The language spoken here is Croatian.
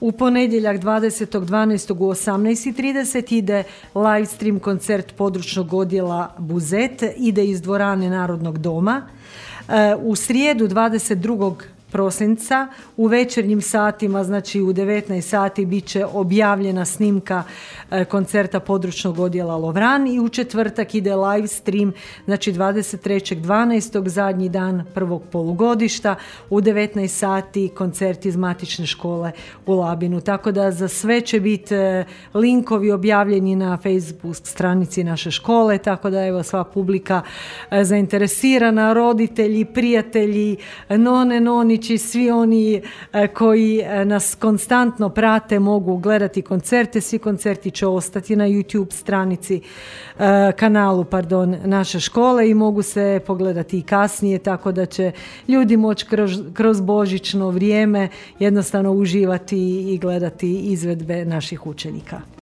U ponedjeljak 20.12. u 18.30 ide live stream koncert područnog odjela Buzet, ide iz dvorane Narodnog doma. U srijedu 22. prosinca u večernjim satima, znači u 19 sati, bit će objavljena snimka koncerta područnog odjela Lovran i u četvrtak ide live stream, znači 23.12. zadnji dan prvog polugodišta u 19 sati koncert iz matične škole u Labinu. Tako da za sve će biti linkovi objavljeni na Facebook stranici naše škole, tako da evo sva publika zainteresirana, roditelji, prijatelji, nonići, svi oni koji nas konstantno prate mogu gledati koncerte. Svi koncerti će ostati na YouTube stranici, kanalu naše škole i mogu se pogledati i kasnije, tako da će ljudi moći kroz božićno vrijeme jednostavno uživati i gledati izvedbe naših učenika.